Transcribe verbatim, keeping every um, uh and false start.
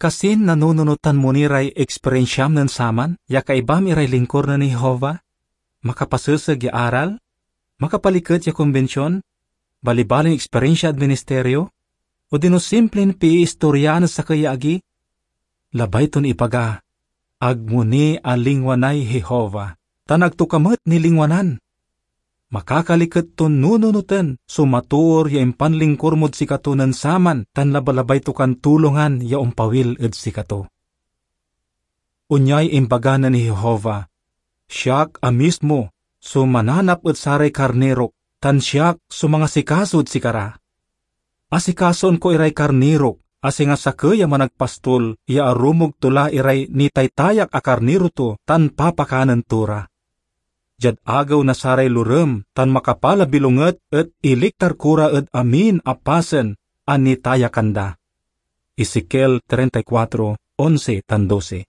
Kasin nanununotan mo ni ray eksperensiam nen saman ya kaibam iray lingkur nen Jehovah? Makapaseseg ya aral? Makapaliket ya kombension? Balibalin eksperensia ed ministerio? Odino simplin piistoryaan ed sakey ya agi? Labay ton ibaga, "Ag mo ni alingwanay Jehovah, tan ag to ka met nilingwanan." Makakaliket ton nununoten so matoor ya impanlingkur mod sikato nen saman tan labalabay to kan tulongan ya ompawil ed sikato. Onyay imbaga nen Jehovah, "Siak a mismo so mananap ed saray karnirok, tan siak so mangasikaso ed sikara." Asikasoen ko iray karnirok a singa sakey a managpastol ya arumog to la iray nitaytayak a karniro to tan papakanen to ra. Diad agew na saray lorem tan makapal a bilonget et iliktar ko ra ed amin a pasen a nitayakan da. Ezekiel treinta y cuatro, once tan doce.